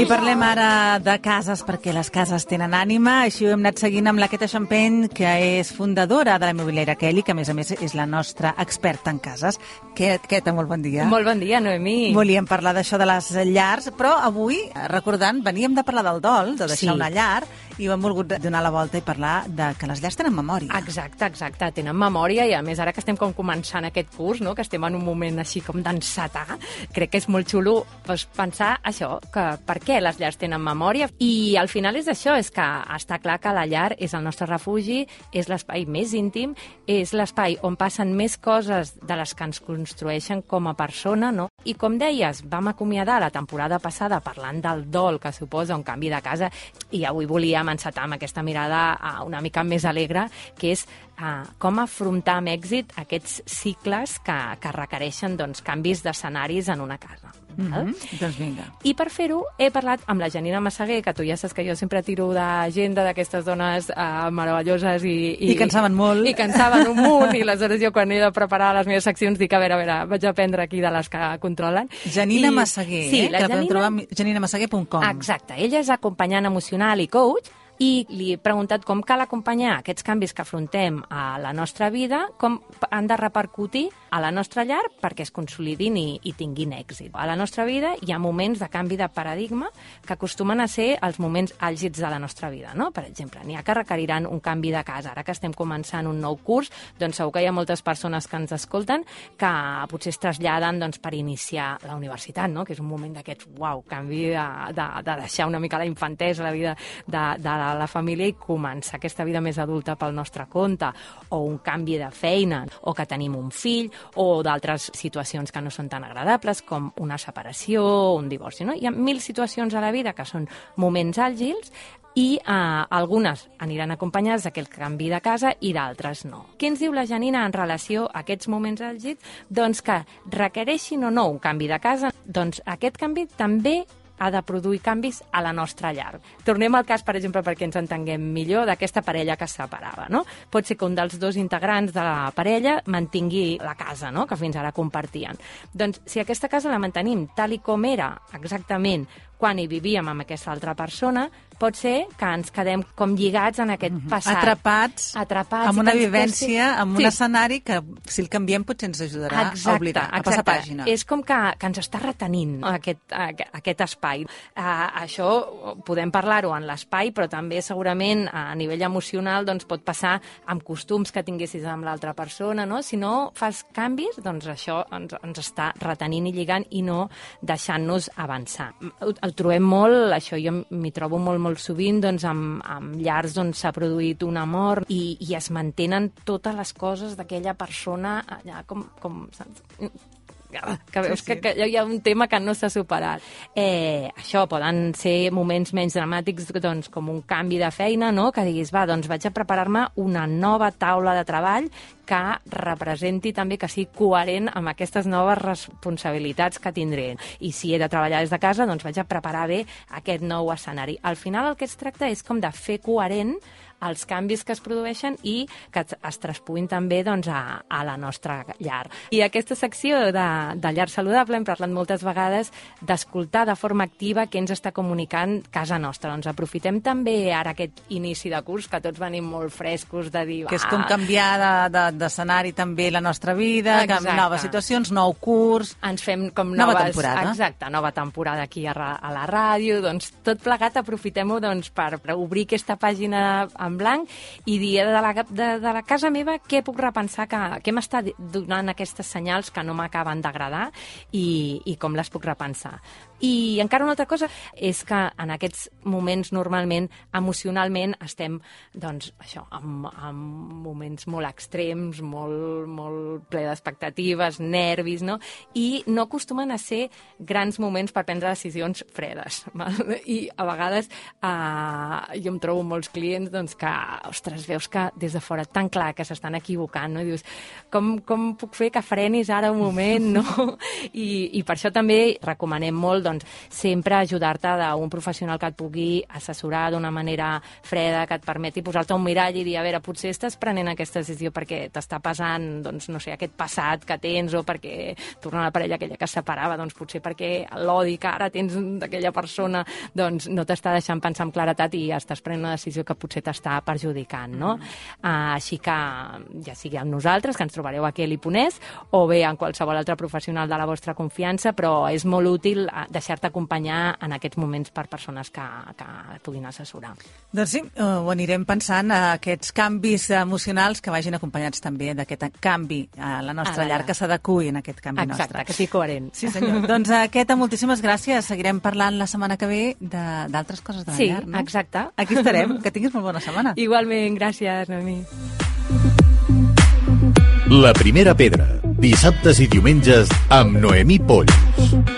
parlem ara de cases perquè les cases tenen ànima. Així ho hem anat seguint amb la Queta Champagne, que és fundadora de la immobiliària Kelly, que a més és la nostra experta en cases. Queta, molt bon dia. Molt bon dia, Noemí. Volíem parlar d'això de les llars, però avui, recordant, veníem de parlar del dol, de deixar una llar, i ho hem volgut donar la volta i parlar de que les llars tenen memòria. Exacte, tenen memòria, i a més ara que estem com començant aquest curs, no? Que estem en un moment així com d'encetar, crec que és molt xulo pensar això, que per què les llars tenen memòria. I al final és això, és que està clar que la llar és el nostre refugi, és l'espai més íntim, és l'espai on passen més coses de les que ens construeixen com a persona, no? I com deies, vam acomiadar la temporada passada parlant del dol que suposa un canvi de casa, i avui volíem encetar amb aquesta mirada una mica més alegre, que és com afrontar amb èxit aquests cicles que requereixen canvis d'escenaris en una casa. Doncs vinga. I per fer-ho he parlat amb la Janina Massaguer, que tu ja saps que jo sempre tiro d'agenda d'aquestes dones meravelloses i que en saben molt. I que en saben un munt, i aleshores jo quan he de preparar les meves seccions dic, a veure, vaig aprendre aquí de les que controlen. Janina Massaguer, sí, que la podem trobar a janinamassaguer.com. Exacte, ella és acompanyant emocional i coach, i li he preguntat com cal acompanyar aquests canvis que afrontem a la nostra vida, com han de repercutir a la nostra llar perquè es consolidin i tinguin èxit. A la nostra vida hi ha moments de canvi de paradigma que acostumen a ser els moments àlgids de la nostra vida, no? Per exemple, n'hi ha que requeriran un canvi de casa. Ara que estem començant un nou curs, doncs segur que hi ha moltes persones que ens escolten que potser es traslladen per iniciar la universitat, no? Que és un moment d'aquest, canvi de deixar una mica la infantesa, la vida de la família i començar aquesta vida més adulta pel nostre compte, o un canvi de feina, o que tenim un fill, o d'altres situacions que no són tan agradables, com una separació o un divorci, no? Hi ha 1000 situacions a la vida que són moments àgils, i algunes aniran acompanyades d'aquest canvi de casa i d'altres no. Què ens diu la Janina en relació a aquests moments àlgids? Doncs que requereixin o no un canvi de casa, doncs aquest canvi també ha de produir canvis a la nostra llar. Tornem al cas, per exemple, perquè ens entenguem millor, d'aquesta parella que es separava, no? Pot ser que un dels dos integrants de la parella mantingui la casa, no?, que fins ara compartien. Doncs si aquesta casa la mantenim tal i com era exactament quan hi vivíem amb aquesta altra persona, pot ser que ens quedem com lligats en aquest passat. Atrapats amb una vivència, amb un escenari que, si el canviem, potser ens ajudarà a oblidar, a passar pàgina. És com que ens està retenint aquest espai. Això podem parlar-ho en l'espai, però també segurament a nivell emocional pot passar amb costums que tinguessis amb l'altra persona, no? Si no fas canvis, doncs això ens està retenint i lligant i no deixant-nos avançar. El trobem molt, això jo m'hi trobo molt sovint, amb llars on s'ha produït una mort i es mantenen totes les coses d'aquella persona allà com que veus que hi ha un tema que no s'ha superat. Això poden ser moments menys dramàtics, com un canvi de feina, no? Que diguis, doncs vaig a preparar-me una nova taula de treball que representi també, que sigui coherent amb aquestes noves responsabilitats que tindré. I si he de treballar des de casa, doncs vaig a preparar bé aquest nou escenari. Al final el que es tracta és com de fer coherent els canvis que es produeixen i que es traspuïn també a la nostra llar. I aquesta secció de llar saludable hem parlat moltes vegades d'escoltar de forma activa què ens està comunicant casa nostra. Doncs aprofitem també ara aquest inici de curs, que tots venim molt frescos de dir... Que és com canviar d'escenari també la nostra vida, noves situacions, nou curs... Ens fem com nova temporada. Exacte, nova temporada aquí a la ràdio. Doncs tot plegat aprofitem-ho per obrir aquesta pàgina en blanc i dir de la casa meva què puc repensar, què m'està donant aquestes senyals que no m'acaben d'agradar i com les puc repensar. I encara una altra cosa és que en aquests moments normalment emocionalment estem amb moments molt extrems, molt ple d'expectatives, nervis, no? I no acostumen a ser grans moments per prendre decisions fredes. I a vegades jo em trobo molts clients que, ostres, veus que des de fora tan clar que s'estan equivocant, no? I dius, com puc fer que frenis ara un moment, no? I per això també recomanem molt doncs sempre ajudar-te d'un professional que et pugui assessorar d'una manera freda, que et permeti posar-te un mirall i dir, a veure, potser estàs prenent aquesta decisió perquè t'està passant, doncs, no sé, aquest passat que tens, o perquè tornar a la parella aquella que es separava, doncs potser perquè l'odi que ara tens d'aquella persona doncs no t'està deixant pensar amb claretat i estàs prenent una decisió que potser t'està perjudicant, no? Així que ja sigui amb nosaltres, que ens trobareu aquí a l'Iponès, o bé en qualsevol altre professional de la vostra confiança, però és molt útil deixar-te acompanyar en aquests moments per persones que et puguin assessorar. Doncs sí, ho anirem pensant, aquests canvis emocionals que vagin acompanyats també d'aquest canvi a la nostra llar, que s'adequi en aquest canvi nostre. Exacte, que sigui coherent. Sí, senyor. Doncs, Queta, moltíssimes gràcies. Seguirem parlant la setmana que ve d'altres coses de la llar, no? Sí, exacte. Aquí estarem. Que tinguis molt bona setmana. Igualment, gràcies, Noemí. La primera pedra, dissabtes i diumenges amb Noemí Polls.